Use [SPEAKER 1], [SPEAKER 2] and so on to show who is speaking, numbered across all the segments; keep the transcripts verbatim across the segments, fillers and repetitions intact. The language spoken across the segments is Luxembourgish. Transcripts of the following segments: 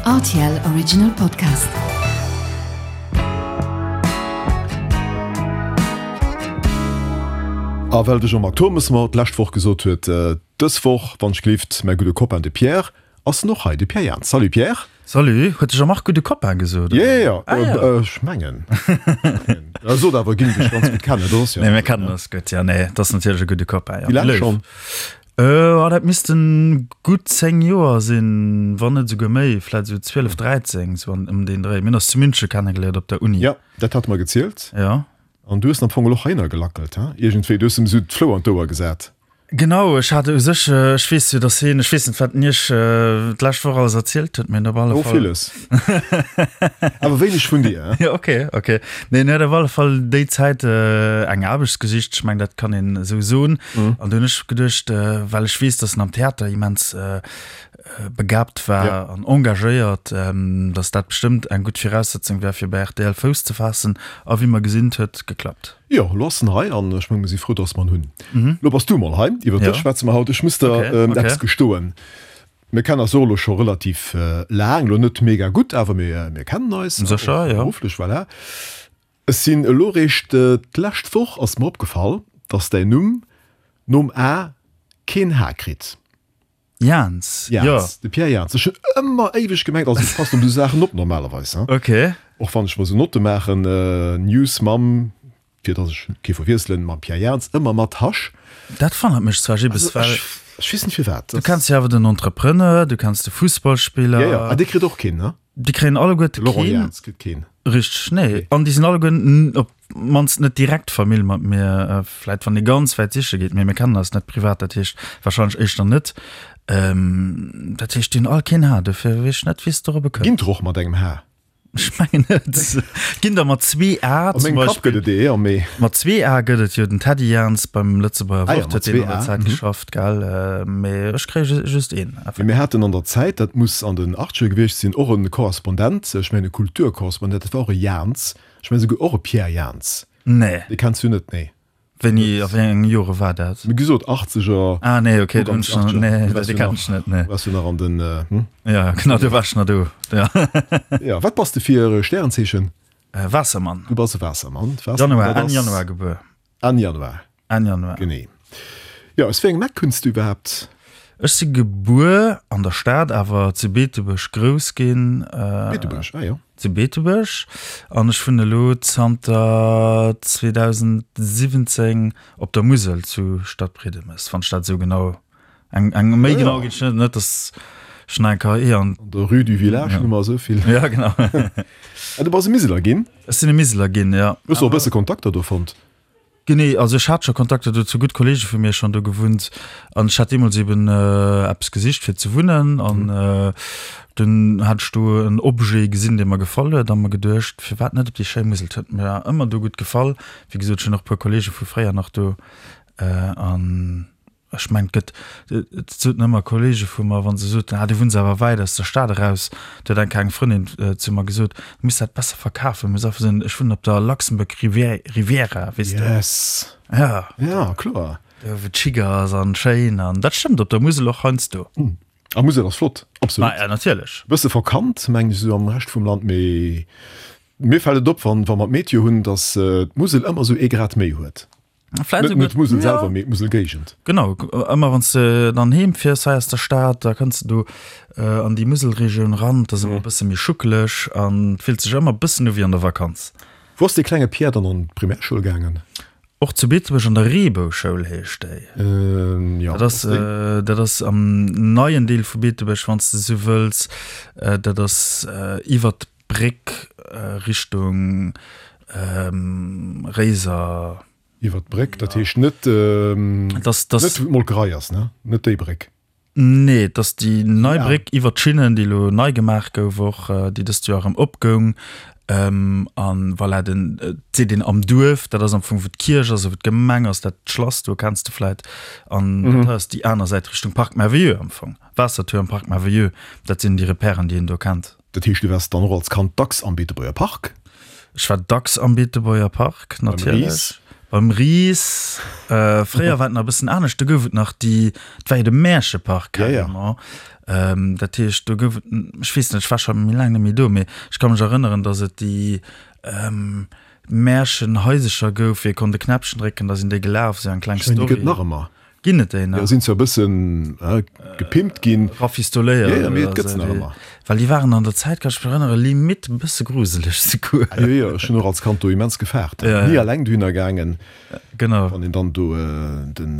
[SPEAKER 1] R T L Original Podcast.
[SPEAKER 2] A well de Jean-Marc Thommes mer d'lescht Woch gesot huet, dës Woch, wann ech gelift, mäi gudde Copain de Pierre, ass en och hei, de Pierre Jans. Salut Pierre.
[SPEAKER 3] Salut, huet de Jean-Marc gudde Copain gesot?
[SPEAKER 2] Jo, jo, jo, ech mengen. E sot awer, ginn dech ganz gutt kennen, dat ass jo.
[SPEAKER 3] Nee, mir kennen eis gutt, jo, nee, dat ass natierlech e gudde Copain, jo.
[SPEAKER 2] Wéi laang schonn?
[SPEAKER 3] Oh, dat missten gutt zéng Joer sinn, wann net esouguer méi, vläit esou zwielef, dräizéng, esou an ëm deen Dréi. Mir hunn eis zu Münche kennegeléiert op der Uni.
[SPEAKER 2] Jo, dat hat mer gezielt.
[SPEAKER 3] Jo.
[SPEAKER 2] An du hues en am Fong och heihinner gelackelt, he? Iergendwéi, du hues em esou d'Flou an d'Ouer gesat.
[SPEAKER 3] Genau, ech hat u sech, ech weess jo, dass hien, ech weess net, wat en Iech d'lescht Woch alles erzielt huet, mee en op alle
[SPEAKER 2] Oh,
[SPEAKER 3] Fall.
[SPEAKER 2] villes. Awer wéineg vun dir, he?
[SPEAKER 3] Jo, okay, okay. Nee, en huet op alle Fall déi Zäit eng Aarbecht gesicht, ech mengen, dat kann een esou soen. An du hunn ech geduecht, well ech weess, dass en am Theater immens begabt war an engagéiert, dass dat bestëmmt eng gutt Viraussetzung wär, fir bei R T L Fouss ze faassen. A wéi mer gesinn, et huet geklappt.
[SPEAKER 2] Jo, elo ass en hei an ech menge mir si frou, dass mer en hunn. Elo bass du mol hei, iwwer dech schwätze mer haut. Ech muss der eppes gestoen, Mir kennen eis och elo scho relativ laang, elo net mega gutt, awer mir kennen eis, och berufflech, voilà. Ech sinn elo réischt d'lescht Woch ass mer opgefall, dass däin Numm nom A keen H kritt.
[SPEAKER 3] Jans, jo.
[SPEAKER 2] Jans, de Pierre Jans. Ech hunn ëmmer éiweg gemengt, also ech passen op esou Saachen op normalerweis, hein.
[SPEAKER 3] Ok.
[SPEAKER 2] Och wann ech mer esou Notte maachen, News mam, fir dass ech kee verwiesselen, mam Pierre Jans, ëmmer mat Hasch.
[SPEAKER 3] Dat wonnert mech zwar, Jibbes,
[SPEAKER 2] Also
[SPEAKER 3] well.
[SPEAKER 2] ech, ech weess net firwat.
[SPEAKER 3] Du kenns jo awer den Entrepreneur, du kenns de Fussballspiller.
[SPEAKER 2] Jo, jo, ah, dee kritt och keen, ne?
[SPEAKER 3] Déi kréien alleguerte
[SPEAKER 2] De Laurent
[SPEAKER 3] keen.
[SPEAKER 2] Jans kritt keen.
[SPEAKER 3] Richteg, nee. An déi sinn alleguer op d'mannst net direkt Famill mat mir. Vläit wann ee ganz wäit siche geet, mee mir kennen eis net privat, dat heescht warscheinlech éischter net. Dat heescht, déi hunn all keen H, dofir weess ech net, wéi s de dorobber kënns.
[SPEAKER 2] Ginn der och mat engem H?
[SPEAKER 3] Ech mengen net. Ginn der mat zwee A
[SPEAKER 2] A
[SPEAKER 3] zum
[SPEAKER 2] mengem Kapp
[SPEAKER 3] Beispill.
[SPEAKER 2] gëtt et ee, mee.
[SPEAKER 3] Mat zwee A gëtt et jo den Teddy Jans beim Lëtzebuerger
[SPEAKER 2] Ah ja,
[SPEAKER 3] Wort,
[SPEAKER 2] mat
[SPEAKER 3] huet deen
[SPEAKER 2] zwee
[SPEAKER 3] an der
[SPEAKER 2] A,
[SPEAKER 3] Zäit
[SPEAKER 2] mhm.
[SPEAKER 3] geschafft, gell? Mee ech kréie just een.
[SPEAKER 2] Mee mir haten an der Zäit, dat muss an den Achtzeger gewiescht sinn, och e Korrespondent, ech mengen e Kulturkorrespondent, dat war och e Jans, ech mengen esouguer och e Pierre Jans.
[SPEAKER 3] Nee.
[SPEAKER 2] Dee kenns du net, nee.
[SPEAKER 3] Wéini, a wéi enge Jore war dat?
[SPEAKER 2] Wéi gesot, Achtzeger.
[SPEAKER 3] Ah nee, okay, do hunn
[SPEAKER 2] Uganks
[SPEAKER 3] ech nach,
[SPEAKER 2] Achtzeger.
[SPEAKER 3] nee,
[SPEAKER 2] Du waars
[SPEAKER 3] dee
[SPEAKER 2] jo
[SPEAKER 3] kenn
[SPEAKER 2] nach,
[SPEAKER 3] ech net, nee.
[SPEAKER 2] waars jo nach an den, hm?
[SPEAKER 3] Ja, genau, do war ech nach do, ja.
[SPEAKER 2] Ja, wat bass de fir e Stärenzeechen?
[SPEAKER 3] Waassermann.
[SPEAKER 2] Du bass e Waassermann. Waassermann,
[SPEAKER 3] Januar,
[SPEAKER 2] dat
[SPEAKER 3] Enn
[SPEAKER 2] ass
[SPEAKER 3] Januar gebuer.
[SPEAKER 2] Enn Januar.
[SPEAKER 3] Enn Januar.
[SPEAKER 2] Genee. Jo, aus wéi engem Eck kënns du iwwerhaapt?
[SPEAKER 3] Ech si gebuer an der Stad, awer zu Beetebuerg grouss ginn.
[SPEAKER 2] Beetebuerg, ah jo.
[SPEAKER 3] Zu Beetebuerg. An ech wunnen elo zanter zweedausendsiwwenzéng op der Musel zu Stadbriedemes, wann ech dat esou genau, eng, eng méi genau ginn ech net, net dass ech nach eng K E an.
[SPEAKER 2] An der Rue du Village, Nummer esou vill.
[SPEAKER 3] Ja, genau.
[SPEAKER 2] Ah, du bass e Miseler ginn?
[SPEAKER 3] Ech sinn e Miseler ginn, ja.
[SPEAKER 2] Hues du och e bësse Kontakter do fonnt?
[SPEAKER 3] Genee, also ech hat scho Kontakter do zu gutt Kollege vu mir schonn do gewunnt an ech hat deemools eben eppes gesicht fir ze wunnen an dunn hat ech do en Objet gesinn, dee mer gefall huet a mer geduecht, firwat net op déi schéi Musel. Et huet mir ëmmer do gutt gefall. Wéi gesot, ech hunn och e puer Kollege vu fréier nach do an Ech mengen, et gëtt, et soten ëmmer Kollege vu mer, wa se soten, ah, du wunns awer wäit aus der Stad eraus, do huet eng Kéier eng Frëndin zu mer gesot, du muss dat besser verkafen, du muss einfach soen, ech wunnen op der Luxembourg Riviera, weess de.
[SPEAKER 2] Yes.
[SPEAKER 3] Ja.
[SPEAKER 2] Ja, kloer.
[SPEAKER 3] Do wou et chic ass an schéin an dat stëmmt op der Musel och heiansdo.
[SPEAKER 2] A Musel ass flott, absolut.
[SPEAKER 3] Ma ja, natierlech.
[SPEAKER 2] Bësse verkannt, mengen ech, esou am Rescht vum Land, mee mir fält et op, wann, wa mer d'Meteo hunn, datt d'Musel ëmmer esou ee Grad méi huet.
[SPEAKER 3] Vläit
[SPEAKER 2] Net net
[SPEAKER 3] esouguer,
[SPEAKER 2] d'Musel
[SPEAKER 3] ja.
[SPEAKER 2] selwer, mee d'Muselgéigend.
[SPEAKER 3] Genau, ëmmer wann s de dann heem fiers hei aus der Stad, da kënns de do an déi Muselregioun ran, et ass ëmmer e bësse méi schuckeleg an et fillt sech ëmmer e bëssen u wéi an der Vakanz.
[SPEAKER 2] Wou ass dee klenge Pierre dann an d'Primärschoul gaangen?
[SPEAKER 3] Och zu Beetebuerg an der Reebou-Schoul heescht déi.
[SPEAKER 2] Jo,
[SPEAKER 3] Dat ass,
[SPEAKER 2] ass déi.
[SPEAKER 3] dat ass am neien Deel vu Beetebuerg, wann s de esou wëlls. Dat ass iwwert d'Bréck Richtung Réiser.
[SPEAKER 2] Iwwer d'Bréck, dat heescht net,
[SPEAKER 3] Das, das,
[SPEAKER 2] net wou d'Molkerei ass, ne? Net déi Bréck.
[SPEAKER 3] Nee, et ass déi nei
[SPEAKER 2] Ah.
[SPEAKER 3] Bréck iwwer d'Schinnen, déi elo nei gemaach gouf och, déi dëst Joer erëm opgoung. An voilà, den, et seet een am Duerf, dat ass am Fong wou d'Kierch ass a wou d'Gemeng ass, dat Schlass do kenns de vläit. An dat hei ass déi aner Säit Richtung Parc Merveilleux am Fong, Waassertuerm, Parc Merveilleux, dat sinn déi Repèren, déi een do kennt.
[SPEAKER 2] Dat heescht, du waars dann och als Kand dacks am Beetebuerger Park?
[SPEAKER 3] Ech war dacks am Beetebuerger Park,
[SPEAKER 2] Beim
[SPEAKER 3] natierlech.
[SPEAKER 2] Ris?
[SPEAKER 3] Beim Ris, äh, fréier war et nach e bëssen anescht, do gouf et nach déi, et war jo de Märchepark
[SPEAKER 2] Ja, ja.
[SPEAKER 3] carrément. Ähm, dat heescht, do gouf et, ech weess net, ech war scho méi laang net méi do, mee ech ka mech erënneren, datt et déi ähm, Märchenhaisercher gouf, wou ee konnt e Knäppchen drécken, da sinn déi gelaf, esou eng kleng
[SPEAKER 2] Ech mengen, déi
[SPEAKER 3] Story.
[SPEAKER 2] gëtt nach ëmmer.
[SPEAKER 3] Ginn et déi nach?
[SPEAKER 2] Jo, sinn zwar e bëssen gepimpt ginn.
[SPEAKER 3] Rafistoléiert.
[SPEAKER 2] Jo, jo, mee et gëtt se nach ëmmer.
[SPEAKER 3] Well déi waren an der Zäit, kann ech mech erënneren, limite e bësse gruseleg souguer.
[SPEAKER 2] Jo, jo, ech hunn och als Kand do immens gefaart. Ni eleng dohinner gaangen.
[SPEAKER 3] Genau.
[SPEAKER 2] Wann een dann do den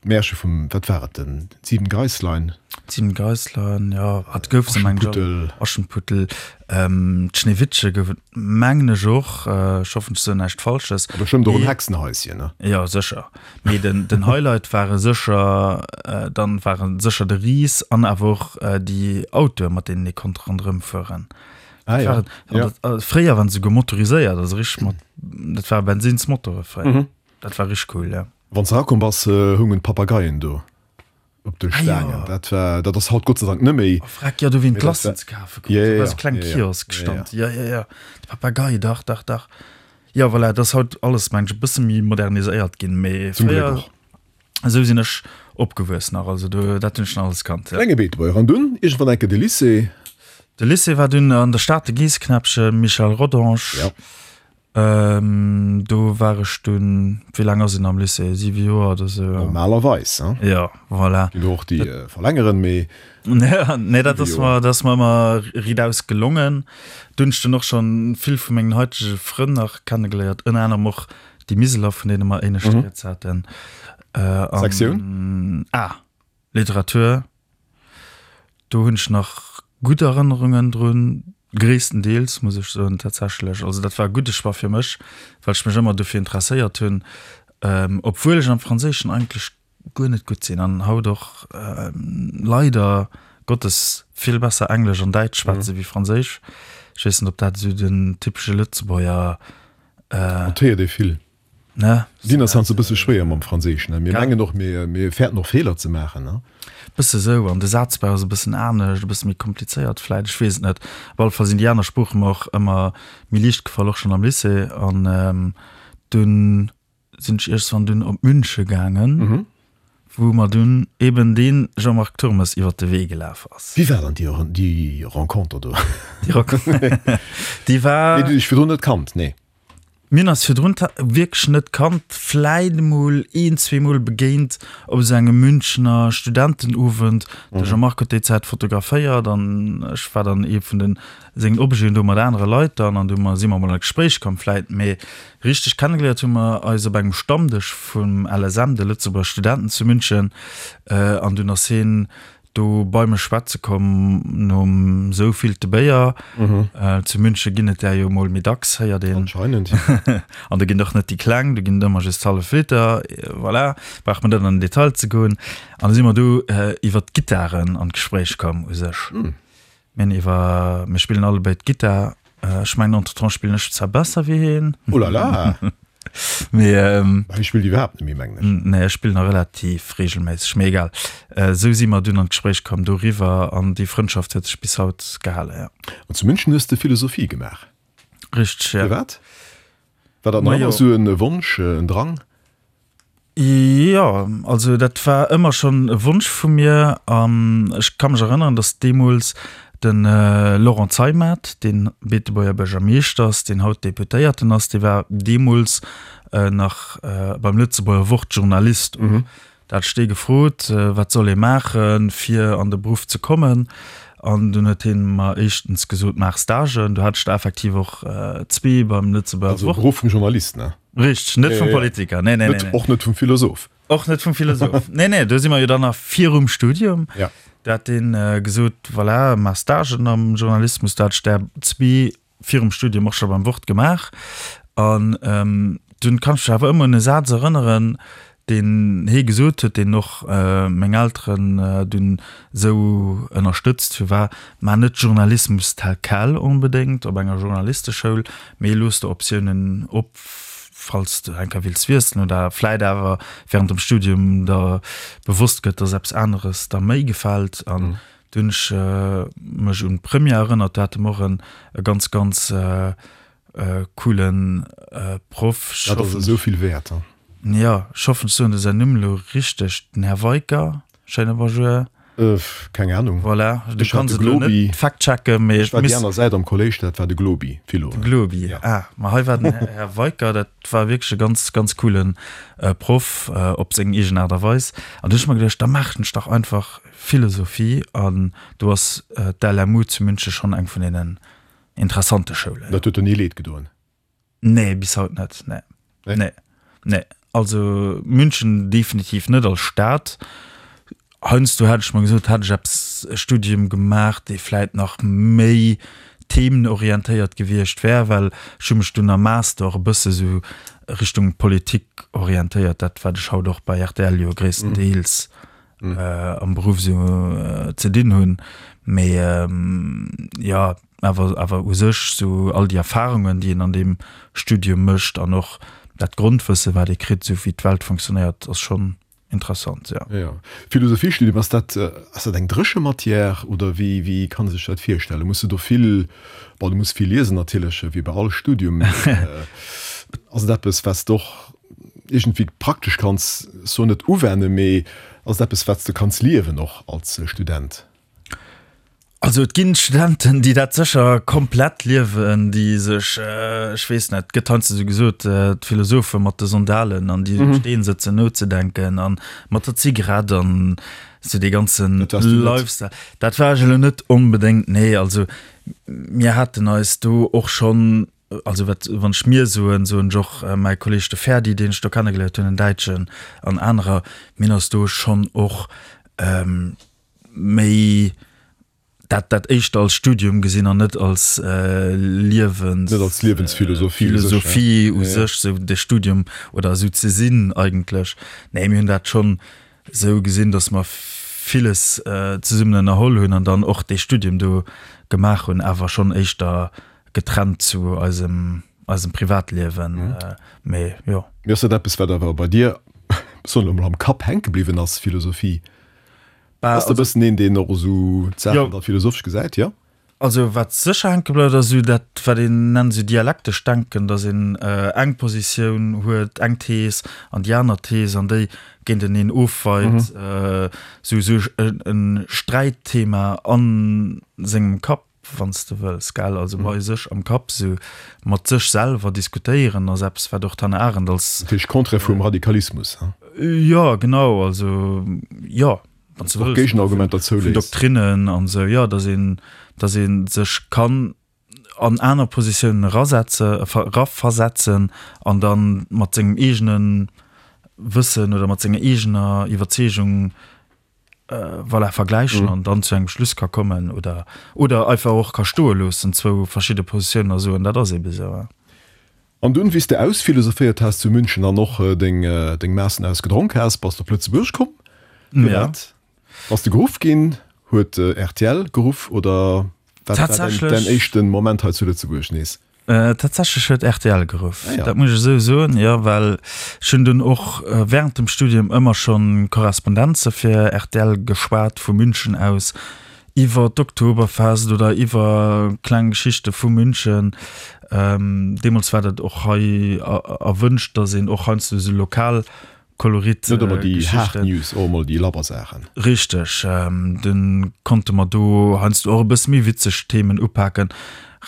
[SPEAKER 2] d'Märche vum, wat war et, den Sieben Geisslein.
[SPEAKER 3] D'Sieben Geisslein, jo, et gouf se, mengen ech. Aschenputtel. D'Schneewittche gouf et, mengen ech och. Ech hoffen, ech soen näischt Falsches.
[SPEAKER 2] A bestëmmt och en Hexenhaischen, ne?
[SPEAKER 3] Jo, sécher. Mee den, den Highlight ware sécher, dann ware sécher de Ris an awer och déi Autoe, mat deenen ee konnt ronderëm fueren.
[SPEAKER 2] Ah ja, ja.
[SPEAKER 3] Fréier waren se souguer motoriséiert, also richteg mat, dat ware Bensinnsmotore fréier. Dat war richteg cool, jo.
[SPEAKER 2] Wann s de erakomm bass, houngen d'Papageien do. Op de Staangen. Dat war, dat ass haut Gott sei Dank net méi.
[SPEAKER 3] Oh freck, jo, do wou een d'Glacen ze kafe krut. Do war esou kleng Kiosk stand. Jo, jo, jo, de Papagei, dach, dach, dach. Jo, voilà, dat ass haut alles, meng ech, e bësse méi moderniséiert ginn, mee fréier, esou sinn ech opgewuess nach, also do, dat hunn ech nach alles kannt,
[SPEAKER 2] jo. Klenge Beetebuerger. An dunn iergendwann enke de Lycée.
[SPEAKER 3] De Lycée war dunn an der Stad, de Geessknäppchen, Michel Rodange.
[SPEAKER 2] Jo.
[SPEAKER 3] Do war ech dunn, wéi laang ass een am Lycée, siwe Joer oder sou?
[SPEAKER 2] Normalerweis, hein?
[SPEAKER 3] Jo, voilà.
[SPEAKER 2] Ginn och déi verlängeren, mee.
[SPEAKER 3] Nee, dat ass mer, dat ass mer ëmmer ridaus gelongen. Do hunn ech dunn och schonn vill vu mengen haitege Frënn nach kennegeléiert, ënner anerem och déi Miseler, vun deene mer éinescht rieds haten.
[SPEAKER 2] Sektioun?
[SPEAKER 3] A, Literatur. Do hunn ech nach gutt Erënnerungen drun, gréisstendeels, muss ech soen, tatsächlech. Also dat war e gudde Choix fir mech, well ech mech ëmmer dofir interesséiert hunn, obwuel ech am Franséischen eigentlech guer net gutt sinn an haut och leider Gottes vill besser Englesch an Däitsch schwätze wéi Franséisch. Ech weess net, ob dat esou den typesche Lëtzebuerger.
[SPEAKER 2] Dat héiert ee vill.
[SPEAKER 3] Ne?
[SPEAKER 2] Dinn ass heiansdo e bësse schwéier mam Franséischen, ne? Mir mengen och, mir, mir fäerten och Feeler ze maachen, ne?
[SPEAKER 3] Bësse sou, an de Sazbau ass e bëssen anescht, e bësse méi komplizéiert vläit, ech weess et net. Op alle Fall sinn déi aner Sprooche mer och ëmmer méi liicht gefall, och schonn am Lycée. An dunn sinn ech iergendwann dunn op Münche gaangen, wou mer dunn eben dee Jean-Marc Turmes iwwer de Wee gelaf ass.
[SPEAKER 2] Wéi war dann déi, déi Renconter do?
[SPEAKER 3] Déi Renconter, déi war.
[SPEAKER 2] Déi du dech virdrun net kannt, nee?
[SPEAKER 3] Mir hunn eis virdrun wierklech net kannt, vläit emol een, zwee Mol begéint op esou engem Münchener Studentenowend. De Jean-Marc huet déi Zäit fotograféiert an ech war dann ee vun de sengen Objeten do mat anere Leit dann an du si mer emol an d'Gespréich komm vläit. Mee richteg kennegeléiert hu mer eis op engem Stammdësch vum L S M, de Lëtzebuerger Studenten zu München, an dunn ass hien do bei mech schwätze komm nom souvillte Béier. Zu Münche ginn et där jo mol méi dacks, héiert een.
[SPEAKER 2] Anscheinend.
[SPEAKER 3] An do ginn et och net déi kleng, do ginn et ëmmer just hallef Liter. Voilà, brauch mer net an den Detail ze goen. An da si mer do iwwer d'Gittaren an d'Gespréich komm u sech. Mir hunn iwwer, mir spillen allebéid Gittar. Ech mengen entretemps spillen ech zwar besser wéi hien.
[SPEAKER 2] Oh la la!
[SPEAKER 3] Mee ähm,
[SPEAKER 2] Hie spillt iwwerhaapt net méi, mengen ech.
[SPEAKER 3] Nee, ech spillen nach relativ regelméisseg, mee egal. Esou si mer dunn an d'Gespréich komm doriwwer an déi Frëndschaft huet sech bis haut gehalen, ja.
[SPEAKER 2] An zu München hues de Philosophie gemaach.
[SPEAKER 3] Richteg, ja.
[SPEAKER 2] Firwat? War dat nach
[SPEAKER 3] Majo.
[SPEAKER 2] ëmmer esou e Wonsch, en Drang?
[SPEAKER 3] Jo, also dat war ëmmer schonn e Wonsch vu mir an ech ka mech erënneren, datt deemools de Laurent Zeimet, dee Beetebuerger Buergermeeschter ass, deen haut Deputéierten ass, dee war deemools nach beim Lëtzebuerger Wort Journalist. Da hat ech dee gefrot, wat soll ee maachen, fir an de Beruff ze kommen. An dunn huet hie mer éischtens gesot, maach Stagen. Do hat ech der effektiv och zwee beim Lëtzebuerger
[SPEAKER 2] Also
[SPEAKER 3] Wort.
[SPEAKER 2] Beruff vum Journalist, ne?
[SPEAKER 3] Richteg, net vum Politiker, nee, nee, nee, nee.
[SPEAKER 2] Och net vum Philosoph.
[SPEAKER 3] Och net vum Philosoph. Nee, nee, do si mer jo dann nach virum Studium.
[SPEAKER 2] Ja.
[SPEAKER 3] Do hat deen gesot, voilà, maach Stagen am Journalismus. Do hat ech der zwee virum Studium och scho beim Wort gemaach. An dunn kann ech mech awer ëmmer un e Saz erënneren, deen hee gesot huet, deen och meng Elteren dunn esou ënnerstëtzt hu, war, Maach net Journalismus tel quel onbedéngt op enger Journalisteschoul, mee looss der Optiounen op, falls de eng Kéier wills wiesselen oder vläit awer während dem Studium der bewosst gëtt, dass eppes aneres der méi gefält. An du hunn ech mech un d'Première erënnert, do hate mer och e ganz, ganz coolen Proff.
[SPEAKER 2] Dat ass esou vill wäert.
[SPEAKER 3] Jo, ech hoffen, ech soen de säin Numm elo richteg, den Här Weicker, schéine Bonjour.
[SPEAKER 2] Keng Ahnung.
[SPEAKER 3] Voilà, du kanns et elo net fact-checken, mee
[SPEAKER 2] ech war déi aner Säit am Kolléisch, dat war de Globi,
[SPEAKER 3] Philo. De Globi, ah, ma hei war den Här Weicker, dat war wierklech e ganz, ganz coole Proff op seng eegen Aart a Weis. An du hunn ech mer geduecht, da maachen ech dach einfach Philosophie an do ass d'LMU zu München schonn eng vun deenen interessante Schoulen.
[SPEAKER 2] Dat huet der ni leed gedoen?
[SPEAKER 3] Nee, bis haut net, nee. Nee, nee. Also München definitiv net als Stad. Heiansdo hätt ech mer gesot, hätt ech eppes, e Studium gemaach, dee vläit nach méi themenorientéiert gewiescht wär, well ech hu mech dunn am Master och e bësse sou Richtung Politik orientéiert, dat wat ech haut och bei rtl jo gréisstendeels am Beruff sou ze dinn hunn. Mee jo, awer awer u sech sou all déi Erfarungen, déi een an deem Studium mécht an och dat Grondwësse wat ee kritt, sou wéi d'Welt funktionéiert, ass schonn interessant, jo.
[SPEAKER 2] Jo. Philosophiestudium, ass dat ass dat eng dréche Matière oder wéi wéi kann ee sech dat virstellen? Muss de do vill, bon du muss vill liesen natierlech, wéi bei all Studium, mee ass et eppes wat s de och iergendwéi praktesch kanns, soen net uwennen, mee ass et eppes wat s de kanns liewen och als Student?
[SPEAKER 3] Also et ginn Studenten, déi dat sécher komplett liewen, déi sech, ech weess net, et gëtt heiansdo esou gesot, d'Philosophe mat de Sandalen an déi um Steen sëtzen nozedenken an mat der Zigarett an esou dee ganze Lifestyle. Dat war ech elo net onbedéngt, nee. Also mir haten eis do och schonn, also wat, wann ech mir soen, soen ech och mäi Kolleeg de Ferdi, deen ech do kennegeléiert hunn, en Däitschen an anerer, mir hunn eis do schonn och méi dat dat éischter als Studium gesinn an net als Liewens
[SPEAKER 2] net als Liewensphilosophie
[SPEAKER 3] u sech, Philosophie u sech, sou de Studium oder esou ze sinn eigentlech. Nee, mir hunn dat schonn esou gesinn, datt mer villes zesummen ënnerholl hunn an dann och dee Studium do gemaach hunn, awer schonn éischter getrennt zu eisem eisem Privatliewen. Mee jo.
[SPEAKER 2] Mee ass dat eppes, wat awer bei dir, soen elo mol, am Kapp hänke bliwwen ass, Philosophie? Bass de e bëssen een, deen och esou d'Saachen da philosophesch gesäit, jo?
[SPEAKER 3] Also wat sécher hänke bleift, ass esou dat, wat een nennt esou dialektescht Denken, datt een eng Positioun huet, eng Thees an déi aner Thees an déi géinteneen ofweit, esou esou e Sträitthema a sengem Kapp. wann s de wëlls, gell, also bei sech am Kapp esou mat sech selwer diskutéieren ass eppes, wat och d'Hannah Arendt als.
[SPEAKER 2] Dat heescht Contraire vum Radikalismus, he?
[SPEAKER 3] Jo, genau, also jo,
[SPEAKER 2] wann s de wëlls. Och Géigenargumenter
[SPEAKER 3] zouléisst. Vun Doktrinnen an esou, jo, datt een, datt ee sech kann an aner Positiounen erasetze, eraversetzen an da mat sengem eegene Wëssen oder mat senger eegener Iwwerzeegung voilà, vergläichen an dann zu engem Schluss ka kommen oder, oder einfach och ka stoe loossen, zwou verschidde Positiounen a soen, dat ass eebe sou.
[SPEAKER 2] An dunn, wéi s de ausphilosophéiert has zu München an och deng, deng Maassen ausgedronk has, bass de op Lëtzebuerg komm. Firwat bass de geruff ginn? Huet rtl geruff oder wat war däin, däin éischten Moment hei zu Lëtzebuerg nees?
[SPEAKER 3] Tatsächlech huet rtl geruff, dat muss ech esou soen, jo, well ech hunn dunn och während dem Studium ëmmer schonn Korrespondenze fir rtl geschwat vu München aus iwwer d'Oktoberfest oder iwwer kleng Geschichte vu München. Deemools war dat och hei erwënscht, datt een och heiansdo esou lokal Kolorit.
[SPEAKER 2] Net ëmmer déi haart News, och emol déi labber Saachen.
[SPEAKER 3] Richteg, dunn konnte mer do heiansdo och e bësse méi witzeg Themen upaken,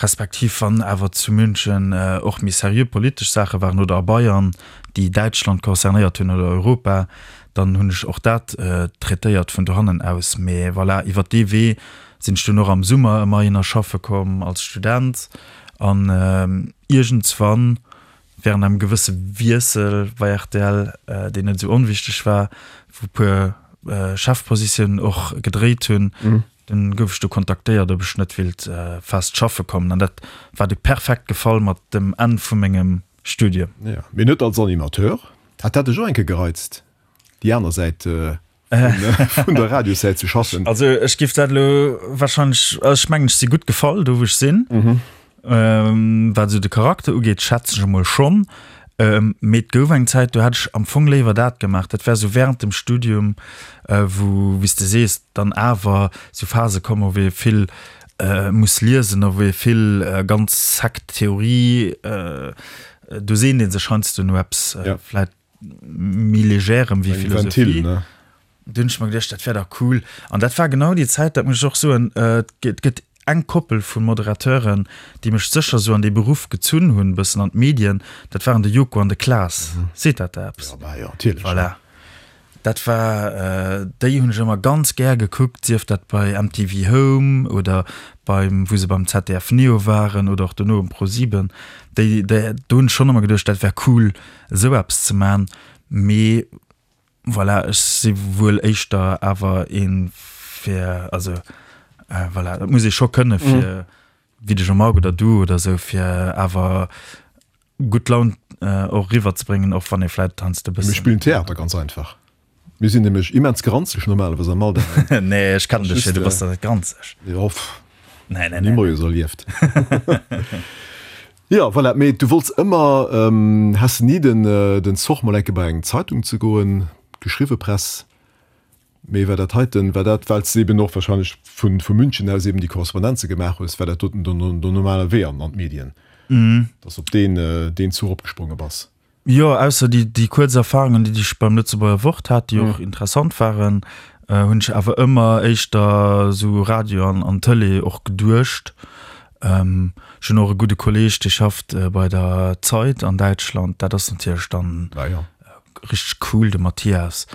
[SPEAKER 3] respektiv wann awer zu München och méi seriö politesch Saache waren oder a Bayern, déi Däitschland concernéiert hunn oder Europa, dann hunn ech och dat traitéiert vun dohannen aus. Mee voilà, iwwer dee Wee sinn ech dunn och am Summer ëmmer hinner schaffe komm als Student an iergendswann Während engem gewësse Wiessel bei rtl, deen net esou onwichteg war, wou e puer Chefpositiounen och gedréit hunn, dunn gouf ech do kontaktéiert, ob ech net wéilt fest schaffe kommen. An dat war du perfekt gefall mat dem Enn vu mengem Studium.
[SPEAKER 2] Jo, mee net als Animateur. Hat dat dech och eng Kéier gereizt, déi aner Säit vun der Radiossäit ze schaffen?
[SPEAKER 3] Also ech giff dat elo wahrscheinlech, also ech mengen ech si gutt gefall do wou ech sinn. Wat esou de Charakter ugeet schätzen ech emol schonn. Mee et gouf eng Zäit do hätt ech am Fong léiwer dat gemaach. Dat war esou während dem Studium, wou wéi s de sees dann awer esou Phase kommen, wou ee vill muss liesen a wou ee vill ganz sec Theorie, do seent ee sech heiansdo no eppes vläit méi Legèrem wéi Philosophie. Du hunn ech mer geduecht, dat wär dach cool. An dat war genau déi Zäit, dat muss ech och soen, et gëtt eng Koppel vu Moderateuren, déi mech sécher esou an dee Beruff gezunn hunn, e bëssen an d'Medien, dat waren de Joko an de Klaas. Seet dat der eppes?
[SPEAKER 2] Ja, bah jo, natierlech.
[SPEAKER 3] Voilà. Dat war, déi hunn ech ëmmer ganz gär gekuckt, sief dat bei M T V Home oder beim, wou se beim Z D F Neo waren oder och dono um ProSieben. Déi, déi, do hunn ech schonn ëmmer geduecht, dat wär cool, esou eppes ze man. Mee voilà, ech si wuel éischter awer ee fir, also voilà, dat muss ee scho kënne fir, wéi de Jean-Marc oder du oder esou, fir awer gutt Laun och eriwwerzebréngen, och wann ee vläicht heiansdo e bëssen.
[SPEAKER 2] Mir spillen Theater, ganz einfach. Mir sinn nämlech immens granzeg normalerweis am Alldag.
[SPEAKER 3] Nee, ech kennen dech jo, du bass der net granzeg.
[SPEAKER 2] Jo, pff.
[SPEAKER 3] Nee, nee,
[SPEAKER 2] nee. Ni moies erlieft. Jo, voilà, mee du wollts ëmmer, has de ni den, den Zoch mol enke bei eng Zeitung ze goen, geschriwwe Press? Mee war dat heiten, war dat, well s de eben och wahrscheinlech vu, vu München aus eben déi Korrespondenze gemaach hues, war dat doten den, den normale Wee an, an d'Medien, dass op deen, deen Zuch opgespronge bass?
[SPEAKER 3] Jo, ausser déi, déi kuerz Erfahrungen, déi ech beim Lëtzebuerger Wort hat, déi och interessant waren, hunn ech awer ëmmer éischter esou Radio an, an Tëlee och geduecht. Ech hunn och e gudde Kolleeg, dee schafft bei der Zeit an Däitschland. Dat ass natierlech dann richteg cool, de Matthias.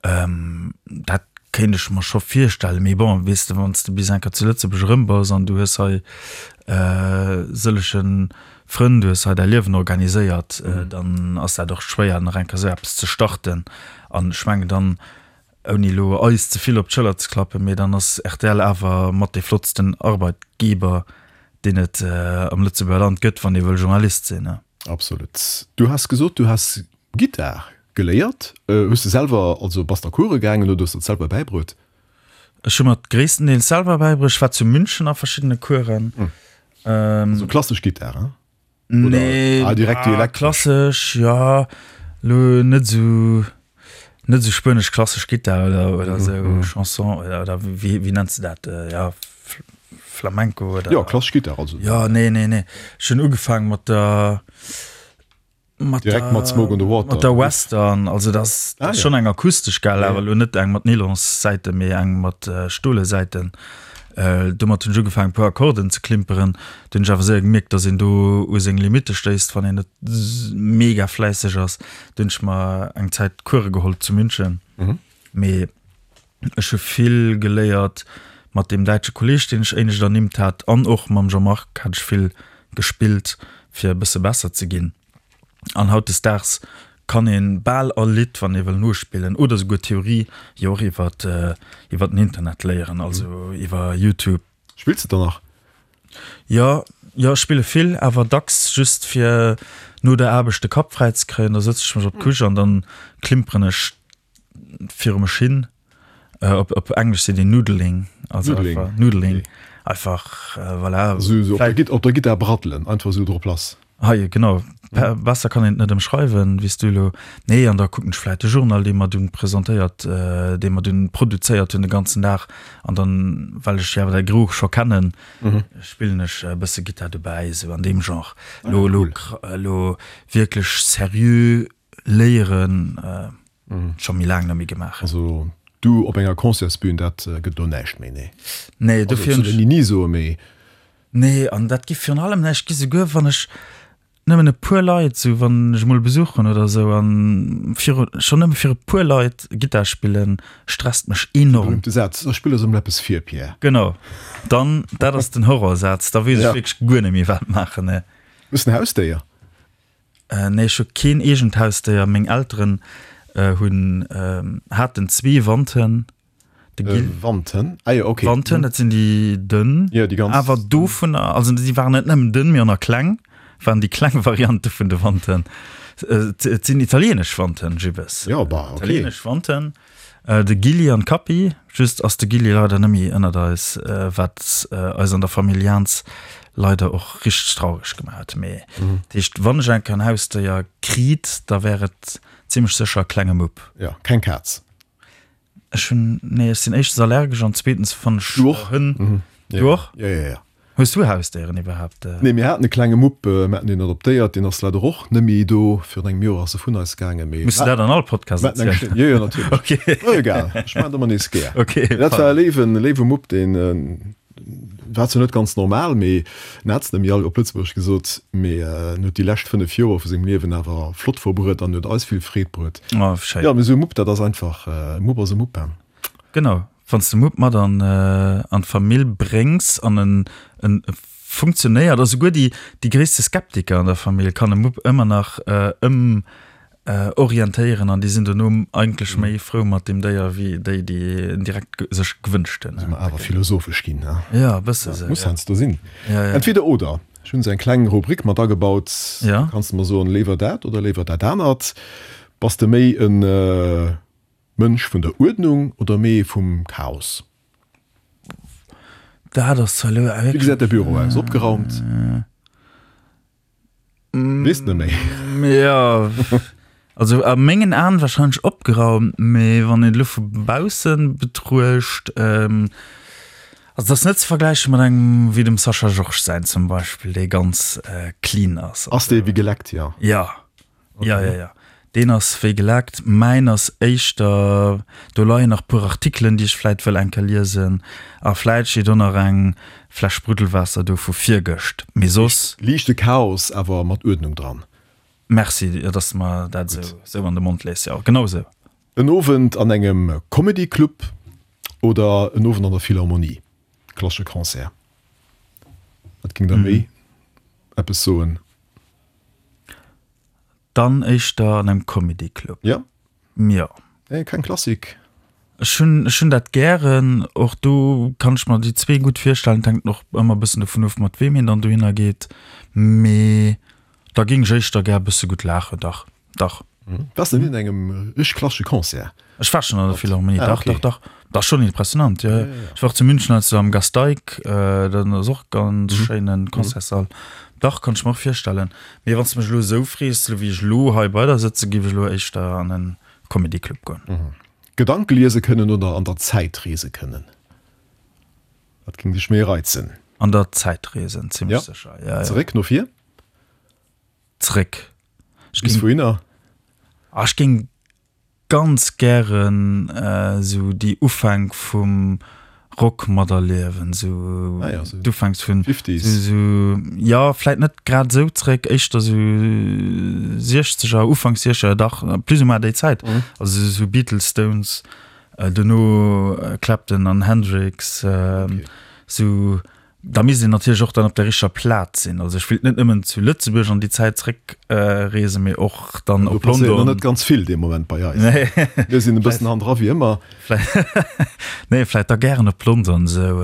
[SPEAKER 3] Dat kéint ech mer scho virstellen. Mee bon, weess de, wann s de bis eng Kéier zu Lëtzebuerg erëm bass an du hues hei sëllege Frënn, du hues hei däi Liewen organiséiert, dann ass dat och schwéier, nach eng Kéier esou eppes ze starten. An ech mengen dann, ouni elo eis ze vill op d'Schëller ze klappen, mee dann ass R T L awer mat dee flottsten Arbeitgeber, deen et am Lëtzebuerger Land gëtt, wann ee wëll Journalist sinn.
[SPEAKER 2] Absolut. Du has gesot, du has Gittar geléiert. Hues de selwer, also bass de a Course gaangen oder hues de et selwer bäibruet?
[SPEAKER 3] Ech hu mer et gréisstendeels selwer bäibruecht. Ech war zu München a verschiddene Coursen.
[SPEAKER 2] Also klassesch Gittar, hein?
[SPEAKER 3] Nee,
[SPEAKER 2] Oder, ah, direkt déi elektresch?
[SPEAKER 3] Klassesch, ja, lo net esou, net esou spuenesch klassesch Gittar oder, oder esou Chanson oder, oder wéi, wéi nenns de dat? Ja, Flamenco oder?
[SPEAKER 2] Jo, klassesch Gittar also.
[SPEAKER 3] Ja, nee, nee, nee. Ech hunn ugefaangen mat der, mat
[SPEAKER 2] Direkt mat Smoke on the Water.
[SPEAKER 3] Mat der Western, also dat ass
[SPEAKER 2] Ah, ja.
[SPEAKER 3] schonn eng akustesch, gell,
[SPEAKER 2] Ja.
[SPEAKER 3] awer elo net eng mat Nylonssäiten, mee eng mat Stolesäiten. Domat hunn ech ugefaangen, e puer Akkorden ze klimperen. Du hunn ech awer séier gemierkt, datt een do u seng Limitte stéisst, wann een net mega fläisseg ass. Du hunn ech mer eng Zäit Course geholl zu München. Mee ech hu vill geléiert mat deem däitsche Kolleeg, deen ech éinescht ernimmt hat, an och mam Jean-Marc hat ech vill gespillt, fir e bësse besser ze ginn. An hautdesdaags kann een bal all Lidd, wann ee wëll nospillen, oder souguer Theorie, jo och iwwer iwwer den Internet léieren, also iwwer YouTube.
[SPEAKER 2] Spills de dann nach?
[SPEAKER 3] Jo, jo, ech spille vill, awer dacks just fir no der Aarbecht de Kapp fräi ze kréien. Da sëtze ech mech op d'Couche an dann klimperen ech viru mech hin. Op op Englesch seet een Noodling, also
[SPEAKER 2] Noodling,
[SPEAKER 3] einfach Noodling,
[SPEAKER 2] okay.
[SPEAKER 3] Einfach voilà.
[SPEAKER 2] Esou esou op der Git op der Gittar braddelen, einfach esou drop lass.
[SPEAKER 3] Hei, genau. Besser kann een et net ëmschreiwen, wéi s du elo. Nee, an da kucken ech vläicht de Journal, dee mer dunn presentéiert, dee mer dunn produzéiert hunn de ganzen Dag. An dann, well ech jo awer däi Geruch scho kennen, spillen ech e bësse Gittar dobäi, esou an deem Genre. Elo, elo, elo wierklech seriö léieren, scho méi laang net méi gemaach.
[SPEAKER 2] Also du op enger Concertsbün, dat gëtt elo näischt méi, nee?
[SPEAKER 3] Nee, dofir hunn ech.
[SPEAKER 2] Also, soll een ni ni soen, mee.
[SPEAKER 3] Nee, an dat gi virun allem näischt gi, souguer wann ech nëmmen e puer Leit, sou wann ech emol Besuch hunn oder sou, an viru, schonn nëmme fir e puer Leit Gittar spillen, stresst mech enorm.
[SPEAKER 2] De berühmte Saz, Da spill eis emol eppes vir, Pierre.
[SPEAKER 3] Genau, dann, dat ass den Horrorsaz, da weess ech wierklech guer net méi wat maachen, nee.
[SPEAKER 2] Hues de en Hausdéier?
[SPEAKER 3] Nee, ech hu keen eegent Hausdéier. Meng Elteren hunn, haten zwee Wandhënn. De Gil.
[SPEAKER 2] Wandhënn? Ah jo, okay.
[SPEAKER 3] Wandhënn, dat sinn déi dënn.
[SPEAKER 2] Jo, déi ganz.
[SPEAKER 3] Awer dovunner, also déi waren net nëmmen dënn, mee och nach kleng, waren déi kleng Variante vun de Wandhënn. Et sinn italienesch Wandhënn, Gibbes.
[SPEAKER 2] Jo, bah, okay.
[SPEAKER 3] Italienesch Wandhënn. De Gilli an d'Kappi. Just ass de Gilli leider net méi ënnert eis, wat eis an der Famill Jans leider och richteg traureg gemaach huet. Mee dat heescht, wann ech eng Kéier en Hausdéier kriit, da wär et zimmlech sécher e klenge Mupp.
[SPEAKER 2] Jo, keng Kaz.
[SPEAKER 3] Ech hunn, nee, ech sinn éischtens allergesch an zweetens fannen ech
[SPEAKER 2] Du och?
[SPEAKER 3] Hënn Du och?
[SPEAKER 2] Ja, ja, ja.
[SPEAKER 3] Hues du Hausdéieren iwwerhaapt?
[SPEAKER 2] Nee, mir haten e klenge Mupp, mir haten deen adoptéiert, deen ass leider och net méi do. Virun engem Joer ass e vun eis gaangen,
[SPEAKER 3] mee. Muss de dat an all Podcast
[SPEAKER 2] erzielen? Jo, jo, natierlech.
[SPEAKER 3] Okay.
[SPEAKER 2] Oh, egal, ech maachen et ëmmer nees gär.
[SPEAKER 3] Okay.
[SPEAKER 2] Dat war e léiwen, léiwe Mupp, deen war zwar net ganz normal, mee en hat es net méi all, op Lëtzebuergesch gesot, mee en huet déi lescht fënnef Joer vu sengem Liewen awer flott verbruet an huet eis vill Freed bruet.
[SPEAKER 3] Oh, schéin.
[SPEAKER 2] Jo, mee esou e Mupp, dat ass einfach, e Mupp ass e Mupp, hein.
[SPEAKER 3] Genau. Wann s de Mupp mat an an d'Famill bréngs an en en funktionéiert, a souguer déi déi gréisste Skeptiker an der Famill kann e Mupp ëmmer nach ëm orientéieren an déi sinn dono eigentlech méi frou mat deem Déier wéi déi, déi en direkt sech gewënscht hunn.
[SPEAKER 2] Si mer awer philosophesch ginn, ne?
[SPEAKER 3] Jo, e bësse sou.
[SPEAKER 2] Muss heiansdo sinn.
[SPEAKER 3] Ja, ja.
[SPEAKER 2] Entweder oder. Ech hunn esou eng kleng Rubrik mat agebaut.
[SPEAKER 3] Ja.
[SPEAKER 2] Do kanns de mer soen, léiwer dat oder léiwer dat anert. Bass de méi en Mënsch vun der Uerdnung oder méi ee vum Chaos?
[SPEAKER 3] Dat ass zwar elo
[SPEAKER 2] Wéi gesäit däi Büro aus? Opgeraumt? Weess net méi.
[SPEAKER 3] Jo, also a mengen Aen wahrscheinlech opgeraumt, mee wann een et elo vu bausse betruecht, also et ass net ze vergläiche mat engem wéi dem Sascha Georges säin zum Beispill, dee ganz clean ass.
[SPEAKER 2] Ass dee wéi geleckt, jo?
[SPEAKER 3] Jo. Ja, ja, ja. Deen ass wéi geleckt. Mäin ass éischter, do leien nach puer Artikelen, déi ech vläit wëll eng Kéier liesen. A vläit steet och nach eng Fläsch Spruddelwaasser do vu virgëscht. Mee soss.
[SPEAKER 2] Liichte Chaos, awer mat Uerdnung dran.
[SPEAKER 3] Merci, dass de mer dat esou an de Mond lees. Jo, genau esou.
[SPEAKER 2] En Owend an engem Comedy Club oder en Owend an der Philharmonie, klassesche Concert? Wat géing der méi eppes soen?
[SPEAKER 3] Dann éischter an engem Comedy Club.
[SPEAKER 2] Ja?
[SPEAKER 3] Jo.
[SPEAKER 2] Nee, keng Klassik?
[SPEAKER 3] Ech hunn, ech hunn dat gären. Och do kann ech mer déi zwee gutt virstellen. Et hänkt och ëmmer e bëssen dovun of, mat weem een dann dohinner geet. Mee da géing ech éischter gär e bësse gutt laachen, dach, dach.
[SPEAKER 2] Waars de ni an engem richteg klassesche Concert?
[SPEAKER 3] Ech war schon an der Philharmonie,
[SPEAKER 2] Ah,
[SPEAKER 3] dach,
[SPEAKER 2] okay.
[SPEAKER 3] dach, dach. Dat ass schon impressionant, jo.
[SPEAKER 2] Ja, ja, ja.
[SPEAKER 3] Ech war och zu München heiansdo am Gasteig, dat ass och ganz
[SPEAKER 2] Mhm.
[SPEAKER 3] schéinen Concertssall. Dach, kann ech mer och virstellen. Mee wann s de mech elo esou frees, elo wéi ech elo hei bei der sëtzen, géif ech elo éischter an en Comedy Club goen.
[SPEAKER 2] Mhm. Gedanke liese kënnen oder an der Zäit reese kënnen? Wat géing dech méi reizen?
[SPEAKER 3] An der Zäit reesen, zimmlech
[SPEAKER 2] Ja.
[SPEAKER 3] sécher, ja, ja.
[SPEAKER 2] Zeréck, no vir?
[SPEAKER 3] Zeréck. Ech
[SPEAKER 2] Bis
[SPEAKER 3] géing,
[SPEAKER 2] wouhinner?
[SPEAKER 3] ah, ech géing ganz gären esou déi Ufänk vum Rock materliewen, esou
[SPEAKER 2] Ah ja, esou
[SPEAKER 3] d'Ufänks vun
[SPEAKER 2] Fifties.
[SPEAKER 3] esou, jo, vläit net grad esou zréck, éischter esou Siechzeger, Ufanks Siechzeger, dach, plus ou moins déi Zäit, also esou Beatles, Stones, duerno Clapton an Hendrix, esou. Da misst een natierlech och dann op der richteger Plaz sinn. Also ech wéilt net nëmmen zu Lëtzebuerg an déi Zäit zréck reesen, mee och dann
[SPEAKER 2] Do
[SPEAKER 3] op
[SPEAKER 2] passéiert nach
[SPEAKER 3] London.
[SPEAKER 2] net ganz vill dee Moment bei eis.
[SPEAKER 3] Nee.
[SPEAKER 2] Mir sinn e bëssen hannendra wéi ëmmer.
[SPEAKER 3] Nee, vläit da gären op London esou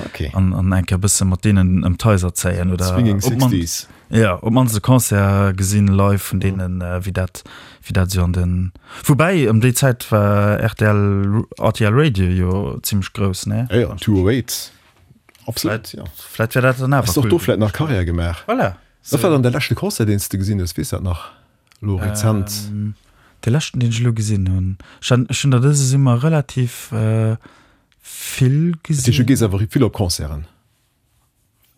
[SPEAKER 2] Okay.
[SPEAKER 3] an an eng Kéier e bësse mat deenen ëm d'Haiser zéien oder
[SPEAKER 2] Swinging
[SPEAKER 3] op d'mannst,
[SPEAKER 2] Sixties.
[SPEAKER 3] ja, op d'mannst e Concert gesinn live vun deenen, wéi dat, wéi dat esou an den, woubäi ëm déi Zäit war rtl, rtl Radio jo zimmlech grouss, nee?
[SPEAKER 2] Ja, ja, two oh eight. Absolut,
[SPEAKER 3] Vläit,
[SPEAKER 2] ja.
[SPEAKER 3] vläit wär dat dann awer
[SPEAKER 2] Hast doch
[SPEAKER 3] cool
[SPEAKER 2] do vläit nach
[SPEAKER 3] gewiescht.
[SPEAKER 2] Karriär gemaach.
[SPEAKER 3] Voilà.
[SPEAKER 2] Wat war dann de leschte Concert, deen s de gesinn hues? Weess dat nach? Elo rezent?
[SPEAKER 3] Ähm, de leschten, deen ech elo gesinn hunn. Ech han, ech hunn der dëse Summer relativ äh, vill
[SPEAKER 2] Dat heescht, du
[SPEAKER 3] gesinn.
[SPEAKER 2] gees awer vill op Concerten?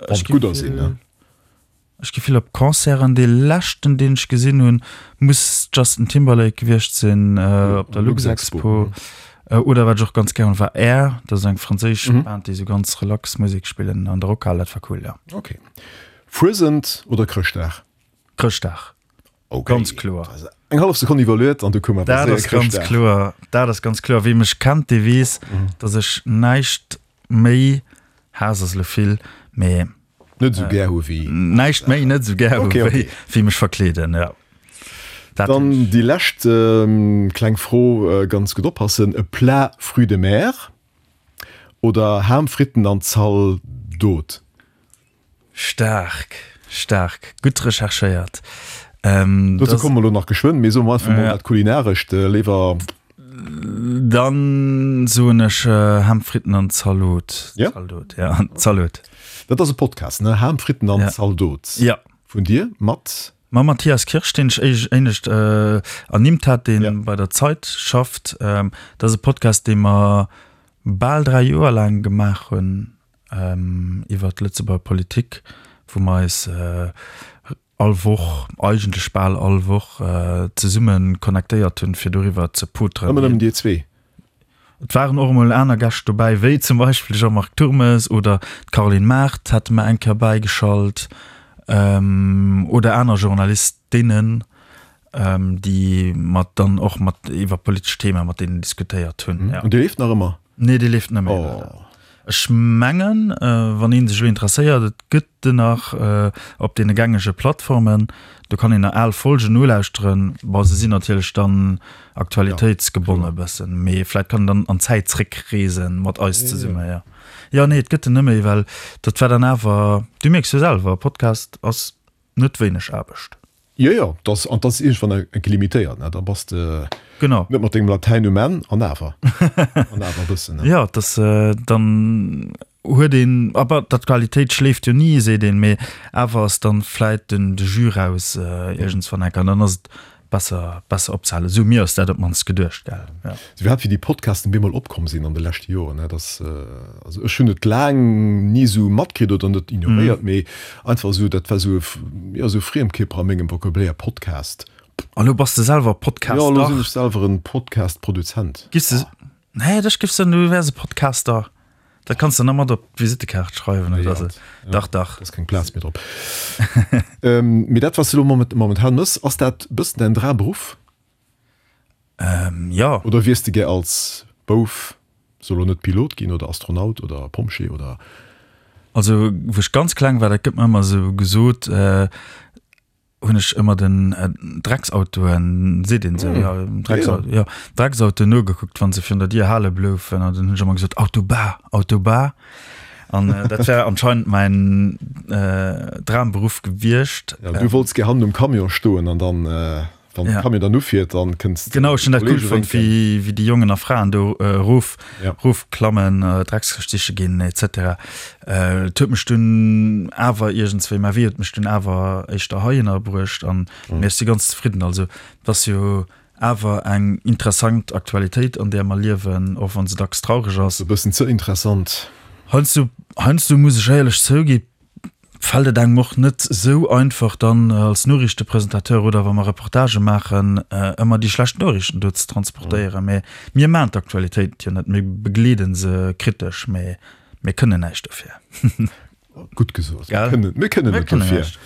[SPEAKER 2] Wann
[SPEAKER 3] Ech
[SPEAKER 2] et
[SPEAKER 3] gi
[SPEAKER 2] gudder sinn, ne?
[SPEAKER 3] vill, ech gi vill op Concerten. Dee leschten, deen ech gesinn hunn, muss Justin Timberlake gewiescht sinn, äh, op der
[SPEAKER 2] Luxexpo.
[SPEAKER 3] Luxexpo. Oder wat ech och ganz gär hunn, war Air, dat ass eng franséisch
[SPEAKER 2] Mhm.
[SPEAKER 3] Band, déi sou ganz relax Musek spillen an der Rockhal, dat war cool, ja.
[SPEAKER 2] Okay. Fuesent oder Chrëschtdag?
[SPEAKER 3] Chrëschtdag.
[SPEAKER 2] Okay.
[SPEAKER 3] Ganz kloer.
[SPEAKER 2] Also eng hallef Sekonn iwwerluet an du koum awer
[SPEAKER 3] Dat
[SPEAKER 2] séier
[SPEAKER 3] ass ganz
[SPEAKER 2] Chrëschtdag.
[SPEAKER 3] kloer, dat ass ganz kloer. Wie mech kennt, dee weess,
[SPEAKER 2] Mhm.
[SPEAKER 3] datt ech näischt méi, Haass ass elo vill, mee
[SPEAKER 2] Net esou gär hu wéi.
[SPEAKER 3] näischt méi net esou gär hu
[SPEAKER 2] Okay,
[SPEAKER 3] wéi,
[SPEAKER 2] okay.
[SPEAKER 3] wéi mech verkleeden, ja. Dat
[SPEAKER 2] Dann déi lescht kleng Fro, ganz gutt oppassen, E Plat fruits de mer oder Ham, Fritten an Zaldot?
[SPEAKER 3] Staark, staark, gutt recherchéiert. Ähm,
[SPEAKER 2] Dozou komme mer elo nach geschwënn, mee soe mer einfach mol
[SPEAKER 3] Ja.
[SPEAKER 2] dat Kulinarescht léiwer.
[SPEAKER 3] Dann soen ech Ham, Fritten an Zalot.
[SPEAKER 2] Ja?
[SPEAKER 3] Zaldot, ja, Zalot.
[SPEAKER 2] Dat ass e Podcast, ne? Ham, Fritten an
[SPEAKER 3] Ja.
[SPEAKER 2] Zaldot.
[SPEAKER 3] Ja.
[SPEAKER 2] Vun dir mat?
[SPEAKER 3] Mam Matthias Kirsch, deen ech éinescht ernimmt hat, dee
[SPEAKER 2] Ja.
[SPEAKER 3] bei der Zeit schafft. Dat ass e Podcast, dee mer bal dräi Joer laang gemaach hunn. iwwer d'Lëtzebuerger Politik, wou mer eis all Woch, eigentlech bal all Woch, zesumme connectéiert hunn, fir doriwwer ze poteren.
[SPEAKER 2] Ëmmer nëmmen dir zwee?
[SPEAKER 3] Et waren och emol aner Gäscht dobäi, wéi zum Beispill de Jean-Marc Turmes oder d'Caroline Mart hate mer eng Kéier bäigeschalt, oder aner Journalistinnen, déi mer dann och mat iwwer politesch Theme mat deenen diskutéiert hunn.
[SPEAKER 2] An dee leeft nach ëmmer?
[SPEAKER 3] Nee, dee leeft net méi, leider. Ech mengen, wann ee sech elo interesséiert, et gëtt en nach op deene gängege Plattformen. Do kann een nach al Folgen nolauschteren. Bon, se sinn natierlech dann aktualitéitsgebonne e bëssen, mee vläit kann een dann an d'Zäit zréckreesen mat eis zesumme, jo. Jo, nee, et gëtt en net méi, well dat war dann awer, du mierks jo selwer, e Podcast ass net wéineg Aarbecht.
[SPEAKER 2] Jo, jo, dass, an dass iergendwann enke limitéiert, ne, da bass de
[SPEAKER 3] genau.
[SPEAKER 2] net mat dengem Latäin um Enn, an awer, an awer e bëssen, ne.
[SPEAKER 3] Jo, dass dann huet een, aber d'Aktualitéit schléift jo ni, seet een, mee awer ass dann vläit den, de Jus raus iergendswann enke, an dann ass et besser, besser opzehalen. Esou, mir ass dat op d'mannst geduecht, gell,
[SPEAKER 2] jo. Iwwerhaapt wéi déi Podcasten bemol opkomm sinn an de leschte Joren, ne, dass, also ech hunn et laang ni esou matkritt oder net ignoréiert, mee einfach esou, dat war esou e, jo, esou e Friemkierper a mengem Vocabulaire, Podcast.
[SPEAKER 3] A lo bass de selwer Podcaster?
[SPEAKER 2] Jo, lo sinn ech selwer en Podcast-Produzent.
[SPEAKER 3] Giss de, nee, ech giff soen, du wäers e Podcaster. Dat kanns de nach mat op d'Visittekaart schreiwen oder sou. Dach, dach.
[SPEAKER 2] Da ass keng Plaz méi drop. Mee dat, wat s de elo momentan mëss, ass dat e bëssen däin Dramberuff?
[SPEAKER 3] Jo.
[SPEAKER 2] Oder wiers de gär als Bouf, soll elo net Pilot ginn oder Astronaut oder Pompjee oder?
[SPEAKER 3] Also, wou ech ganz kleng war, dat gëtt mer ëmmer esou gesot, hunn ech ëmmer den Drecksautoen, seet een esou, jo, Drecksauto, jo, Drecksautoen nogekuckt, wa se virun der Dier hale bloufen an dann hunn ech ëmmer gesot, Autobah, Autobah. An dat war anscheinend mäin Dramberuff gewiescht.
[SPEAKER 2] Ja, du wollts gär hannen um Camion stoen an dann Wann de Camion dann ufiert, dann kënns de
[SPEAKER 3] Genau, ech hunn dat cool fonnt, wéi, wéi déi Jongen a Fraen do erof,
[SPEAKER 2] Ja.
[SPEAKER 3] erofklammen, Dreckskëscht siche ginn, et cetera. Et huet mech dunn awer iergendswéi, mä wéi huet mech dunn awer éischter heihinner bruecht an mee ech si ganz zefridden. Also, et ass jo awer eng interessant Aktualitéit, an där mer liewen, och wa se dacks traureg ass.
[SPEAKER 2] E bëssen ze interessant.
[SPEAKER 3] Heiansdo, heiansdo muss ech éierlech zougi, fält et engem och net esou einfach dann als Noriichtepresentateur oder wa mer Reportagë maachen, ëmmer déi schlecht Noriichten do ze transportéieren. Mä mir maachen d'Aktualitéit jo net, mir begleede se kritesch, mä mir kënnen näischt dofir.
[SPEAKER 2] Gutt gesot.
[SPEAKER 3] Gell?
[SPEAKER 2] Mir kënnen
[SPEAKER 3] Mir
[SPEAKER 2] net
[SPEAKER 3] kënnen
[SPEAKER 2] dofir.
[SPEAKER 3] näischt.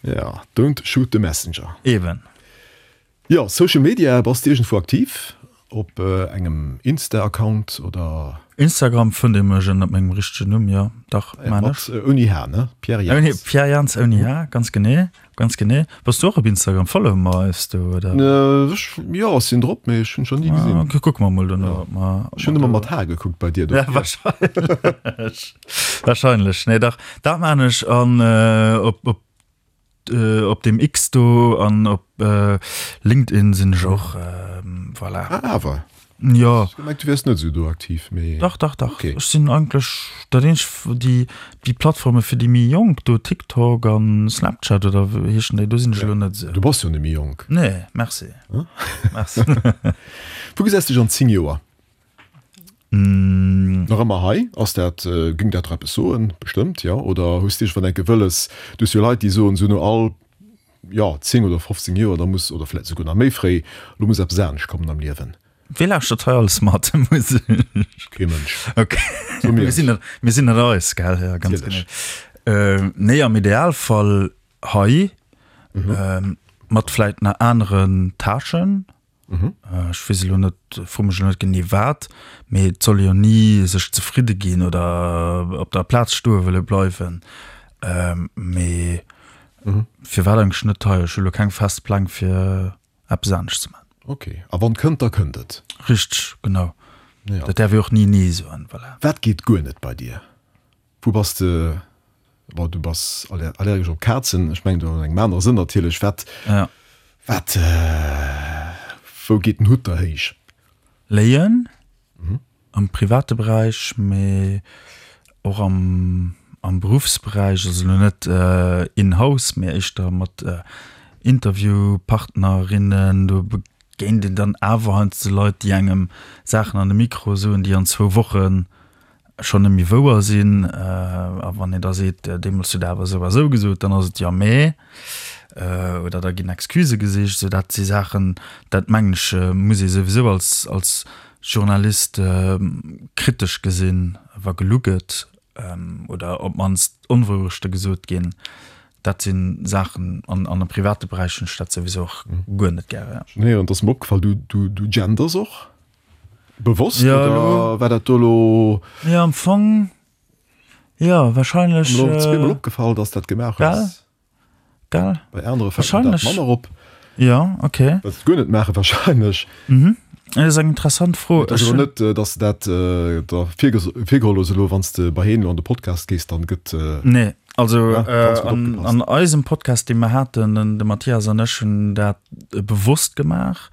[SPEAKER 2] Ja, don't shoot the messenger.
[SPEAKER 3] Eben.
[SPEAKER 2] Jo, Social Media, bass de iergendwou aktiv? Op engem Insta-Account oder?
[SPEAKER 3] Instagram fënnt ee mech ënnert mengem richtegen Numm, jo, dach, maan ech.
[SPEAKER 2] Mat ouni H, ne? Pierre Jans.
[SPEAKER 3] Pierre Jans ouni H, ganz genee, ganz genee. Bass du och op Instagram? Followe mer eis do, oder?
[SPEAKER 2] Ech, jo, ech sinn drop, mee ech hunn scho ni gesinn.
[SPEAKER 3] Ok, kucke mer mol dono, ob mer.
[SPEAKER 2] Ech hunn ëmmer mat H gekuckt bei dir,
[SPEAKER 3] dofir. Ja, wahrscheinlech, wahrscheinlech. Nee, dach, dat maan ech an op, op. Op dem X do an op LinkedIn sinn ech och, voilà.
[SPEAKER 2] Ah, awer.
[SPEAKER 3] Jo.
[SPEAKER 2] Ech gemengt, du wiers net esou do aktiv, mee.
[SPEAKER 3] Dach, dach, dach.
[SPEAKER 2] Okay.
[SPEAKER 3] Ech sinn eigentlech dat eenzegt, déi, déi Plattforme fir déi méi Jonk do, TikTok an Snapchat oder wéi heeschen déi, do sinn ech elo net esou.
[SPEAKER 2] Du bass jo net méi jonk.
[SPEAKER 3] Nee, merci. Merci.
[SPEAKER 2] Wou gesäis dech an zéng Joer? Nach ëmmer hei? Ass dat, géing dat der eppes soen? Bestëmmt, jo. Oder hues de iergendwann enke wëlles, du hues jo Leit, déi soen esou no all, jo, zéng oder fofzéng Joer, da muss, oder vläicht esouguer nach méi fréi, elo muss eppes anescht kommen am Liewen.
[SPEAKER 3] Wee lauschtert hei alles mat? Muss ech.
[SPEAKER 2] Kee Mënsch.
[SPEAKER 3] Ok.
[SPEAKER 2] So mir.
[SPEAKER 3] Mir sinn net, mir sinn net eis, gell? Ja, ganz genee.
[SPEAKER 2] Natierlech.
[SPEAKER 3] Nee, am Idealfall hei, mat vläicht nach aneren Tâchen. Ech weess elo net, fro mech elo net genee wat, mee et soll ee jo ni sech zefridde ginn oder op der Plaz stoe wëlle bleiwen. Mee firwat eigentlech net hei? Ech hu elo keng fest Pläng fir eppes anescht ze maachen.
[SPEAKER 2] Ok, a wann kënnt, da kënnt et.
[SPEAKER 3] Richteg, genau. Dat däerf ee och ni nee soen, voilà.
[SPEAKER 2] Wat geet guer net bei dir? Wou bass de, bon du bass allergesch op Kazen, ech mengen do an engem anere Sënn natierlech, wat, wat, wou geet den Hutt der héich?
[SPEAKER 3] Léien, am private Beräich, mee och am, am Beruffsberäich, also elo net in house, mee éischter mat Interviewpartnerinnen, do begéint een dann awer heiansdo Leit, déi engem Saachen an de Mikro soen, déi an zwou Wochen schonn net méi wouer sinn. A wann een da seet, deemools hutt Der awer esou a esou gesot, dann ass et jo mä. Oder da ginn Excusë gesicht. Esou dat si Saachen, dat mengen ech, muss ee souwisou als, als Journalist kritesch gesinn, wa gelu gëtt oder op d'mannst Onwourechte gesot ginn. Dat si Saachen, an am private Beräich hunn ech dat souwisou och guer net gären.
[SPEAKER 2] Ech hunn héieren, et ass mer opgefall, du, du, du genders och bewosst,
[SPEAKER 3] Ja,
[SPEAKER 2] oder
[SPEAKER 3] elo.
[SPEAKER 2] war dat do elo?
[SPEAKER 3] Jo, am Fong, jo, wahrscheinlech.
[SPEAKER 2] Mir elo zweemol opgefall, dass dat gemaach
[SPEAKER 3] Gell?
[SPEAKER 2] hues.
[SPEAKER 3] Gell?
[SPEAKER 2] Bei anere fällt mir dat
[SPEAKER 3] Wahrscheinlech.
[SPEAKER 2] manner op.
[SPEAKER 3] Jo, okay.
[SPEAKER 2] Well se et guer net maachen wahrscheinlech.
[SPEAKER 3] Mhm. Dat ass eng interessant Fro.
[SPEAKER 2] Et ass
[SPEAKER 3] Ech
[SPEAKER 2] awer
[SPEAKER 3] hunn.
[SPEAKER 2] net, dass de dat der virgeholl hues elo, wann s de bei heen elo an de Podcast gees, dann gëtt.
[SPEAKER 3] Nee, also
[SPEAKER 2] Ja, ganz gutt
[SPEAKER 3] an,
[SPEAKER 2] opgepasst.
[SPEAKER 3] an eisem Podcast, dee mer haten, den, de Mathias an ech hunn dat bewosst gemaach.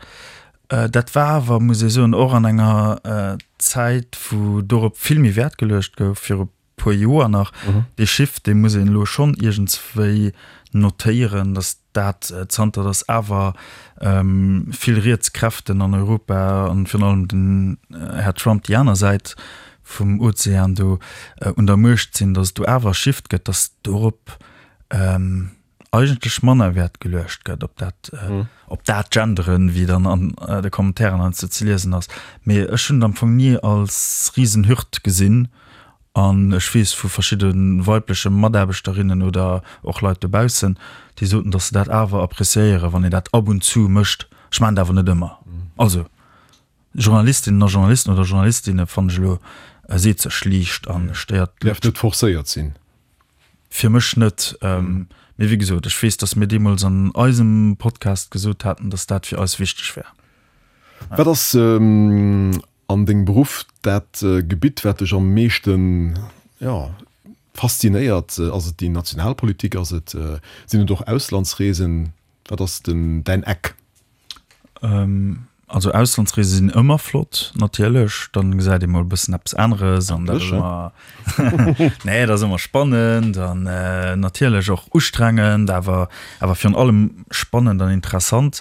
[SPEAKER 3] Dat war awer, muss ee soen, och an enger Zäit, wou dorop vill méi Wäert geluecht gouf, viru puer Joer nach. Dee Shift, dee muss een elo schonn iergendswéi notéieren, datt dat, zanter datt awer vill riets Kräften an Europa an virun allem den Här Trump déi aner Säit vum Ozean do un der Muecht sinn, datt et do awer e Shift gëtt, datt dorop eigentlech manner Wäert geluecht gëtt, op dat, op dat Genderen, wéi dann an de Kommentairen heiansdo ze liesen ass. Mee ech hunn et am Fong ni als Risenhürd gesinn an ech weess vu verschidde weibleche Mataarbechterinnen oder och Leit dobaussen, déi soten, datt se dat awer appreciéieren, wann een dat ab und zu mécht. Ech maachen et awer net ëmmer. Also Journalistinnen a Journalisten oder Journalistinne fannen ech elo seet sech liicht an stéiert
[SPEAKER 2] Däerf net forcéiert sinn.
[SPEAKER 3] Fir mech net. Mee wéi gesot, ech weess, datt mir deemools an eisem Podcast gesot haten, datt dat fir eis wichteg wär.
[SPEAKER 2] Wat ass an dengem Beruff dat Gebitt, wat dech am meeschten, jo, faszinéiert? Ass et déi national Politik? Ass et, sinn et och Auslandsreesen? Wat ass den, däin Eck?
[SPEAKER 3] Also Auslandsreese sinn ëmmer flott natierlech, dann gesäit ee mol e bëssen eppes aneres an dat ass ëmmer, nee dat ass ëmmer spannend an natierlech och ustrengend, awer awer virun allem spannend an interessant.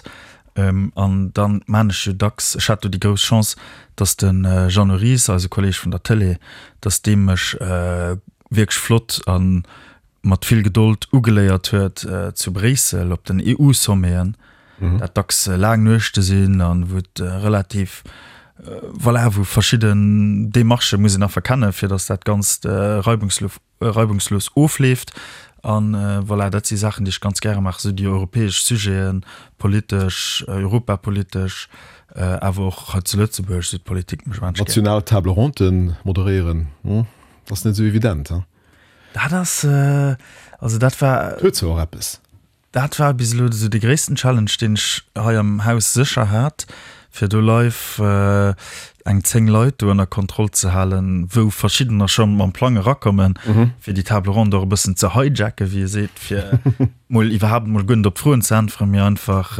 [SPEAKER 3] An dann maan ech jo dacks, ech hat do déi grouss Chance, datt de Jeannot Ries, eise Kolleg vun der Tëlee, datt dee mech wierklech flott a mat vill Gedold ugeléiert huet zu Bréissel op den E U-Sommeten, dat dacks laang Nuechte sinn an wou et relativ, voilà, wou verschidden Demarchë muss een einfach kennen, fir datt dat Ganzt reibungslos ofleeft. An voilà, dat si Saachen, déi ech ganz gäre maachen, esou déi europäesch Sujeten, politesch, europapolitesch, awer och hei zu Lëtzebuerg, esou d'Politik mécht wahnsinneg gär.
[SPEAKER 2] National Table ronde moderéieren, ass net esou evident, he?
[SPEAKER 3] Dat ass, also dat war.
[SPEAKER 2] Huet zwar och eppes.
[SPEAKER 3] Dat war bis elo esou de gréissten Challenge, deen ech hei am Haus sécher hat, fir do live eng zéng Leit do ënner Kontroll ze halen, wou verschiddener scho mam Plang erakommen, fir déi Table ronde och e bëssen ze hijacken, wéi ee seet, fir mol iwwerhaapt mol guer net op d'Froen ze äntweren, mee einfach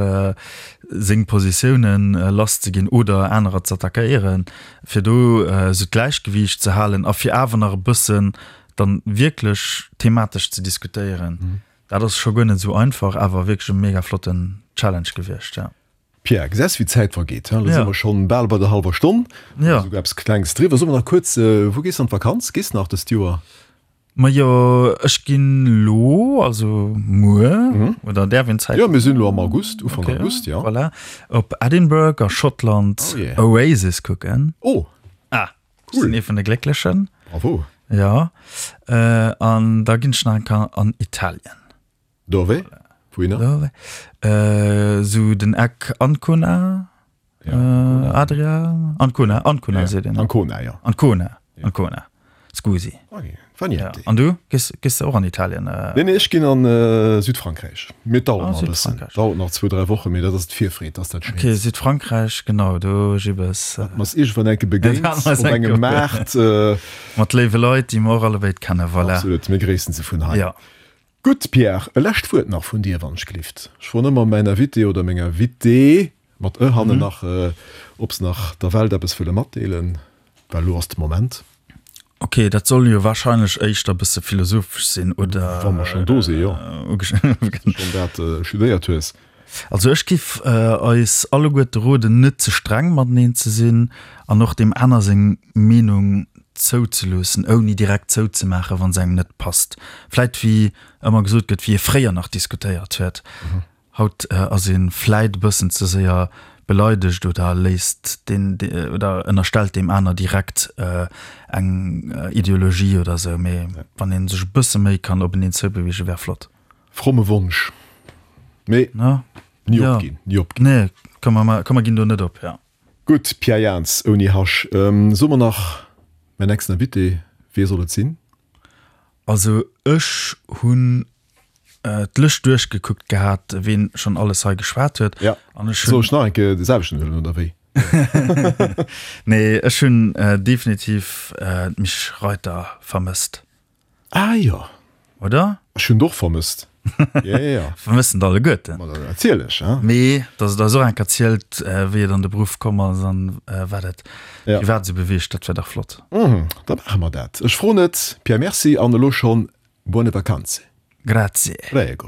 [SPEAKER 3] seng Positiounen lasszeginn oder anerer ze attackéieren, fir do esou d'Gläichgewiicht ze halen a fir awer nach e bëssen dann wierklech thematesch ze diskutéieren. Dat ass scho guer net esou einfach, awer wierklech e mega flotten Challenge gewiescht, ja.
[SPEAKER 2] Pierre, gesäis wéi d'Zäit vergeet, he? Elo si mer schonn bal bei der hallwer Stonn,
[SPEAKER 3] Ja.
[SPEAKER 2] esouguer eppes Klengs driwwer. So mer nach kuerz, wou gees de an d'Vakanz? Gees de nach dëst Joer?
[SPEAKER 3] Majo, ech ginn elo, also muer, oder däerf een d'Zäit?
[SPEAKER 2] Jo, mir sinn elo am August, Ufank August, jo.
[SPEAKER 3] Voilà, op Edinburgh a Schottland
[SPEAKER 2] Oh yeah.
[SPEAKER 3] Oasis kucken.
[SPEAKER 2] Oh!
[SPEAKER 3] Ah! Cool. Sinn ee vun de Glécklechen.
[SPEAKER 2] Bravo.
[SPEAKER 3] Ja, an da ginn ech nach eng Kéier an Italien.
[SPEAKER 2] Dove? Wouhinner?
[SPEAKER 3] Dove? Sou den Eck Ancona,
[SPEAKER 2] Ja,
[SPEAKER 3] Adria, Ancona, Ancona seet een.
[SPEAKER 2] Ancona, jo.
[SPEAKER 3] Ancona, Ancona. Scusi.
[SPEAKER 2] Ok, fa niente.
[SPEAKER 3] Ja. An du? Gees, gees de och an Italien?
[SPEAKER 2] Nee, nee, ech ginn an Südfrankräich. Mee et dauert
[SPEAKER 3] Ah,
[SPEAKER 2] nach e bëssen.
[SPEAKER 3] Südfrankräich.
[SPEAKER 2] Dauert nach zwou, dräi Wochen, mee dat ass d'Virfreed, dass dat
[SPEAKER 3] Ok,
[SPEAKER 2] schéint.
[SPEAKER 3] Südfrankräich, genau, do Gibbes.
[SPEAKER 2] Dat mer s iergendwann enke begéint
[SPEAKER 3] Dat mer s
[SPEAKER 2] op
[SPEAKER 3] enke
[SPEAKER 2] engem Maart.
[SPEAKER 3] Mat léiwe Leit, déi mer och allebéid kennen, voilà.
[SPEAKER 2] Absolut, mir gréissen se vun hei.
[SPEAKER 3] Ja.
[SPEAKER 2] Gutt, Pierre, e lescht Wuert nach vun dir, wann ech glift. Ech froen ëmmer mäin Invité oder meng Invitée, mat e hannen nach, ob se nach der Welt eppes wëlle matdeelen, well elo ass de Moment.
[SPEAKER 3] Ok, dat soll jo wahrscheinlech éischter bësse philosophesch sinn, oder?
[SPEAKER 2] Wa mer schonn do sinn, jo. Schonn dat studéiert hues.
[SPEAKER 3] Also ech giff eis alleguerte roden, net ze streng mateneen ze sinn an och deem aner seng Meenung zouzeloossen, ouni direkt zouzemaachen, wa se engem net passt. Vläit wéi ëmmer gesot gëtt, wéi ee fréier nach diskutéiert huet. Haut ass ee vläit e bëssen ze séier beleidegt oder léisst deen oder ënnerstellt deem aner direkt eng Ideologie oder sou. Mee wann ee sech e bësse méi kann openeen zoubewegen, wär flott.
[SPEAKER 2] Fromme Wonsch, mee ni opginn, ni opginn.
[SPEAKER 3] Nee, komm mer, komm mer ginn do net op, ja.
[SPEAKER 2] Gutt, Pierre Jans, ouni Hasch. Soe mer nach mäin nächsten Invité, wee soll et sinn?
[SPEAKER 3] Also ech hunn d'Lëscht duerchgekuckt gehat, ween schonn alles hei geschwat huet.
[SPEAKER 2] Ja, an ech hunn. Soll ech nach eng Kéier de selwechten huelen, oder wéi?
[SPEAKER 3] Nee, ech hunn definitiv d'Mich Reiter vermësst.
[SPEAKER 2] Ah jo.
[SPEAKER 3] Oder?
[SPEAKER 2] Ech hunn d'och vermësst. Ja, ja, ja.
[SPEAKER 3] Vermëssen d'alleguerten.
[SPEAKER 2] Ma natierlech, hein.
[SPEAKER 3] Mee dass et eis och eng Kéier zielt, wéi et an de Beruff komm ass an wat et
[SPEAKER 2] Ja.
[SPEAKER 3] privat esou beweegt, dat wär dach flott.
[SPEAKER 2] Mhm, da maache mer dat. Ech froen et. Pierre, merci an elo schonn buone vacanze.
[SPEAKER 3] Grazie.
[SPEAKER 2] Prego.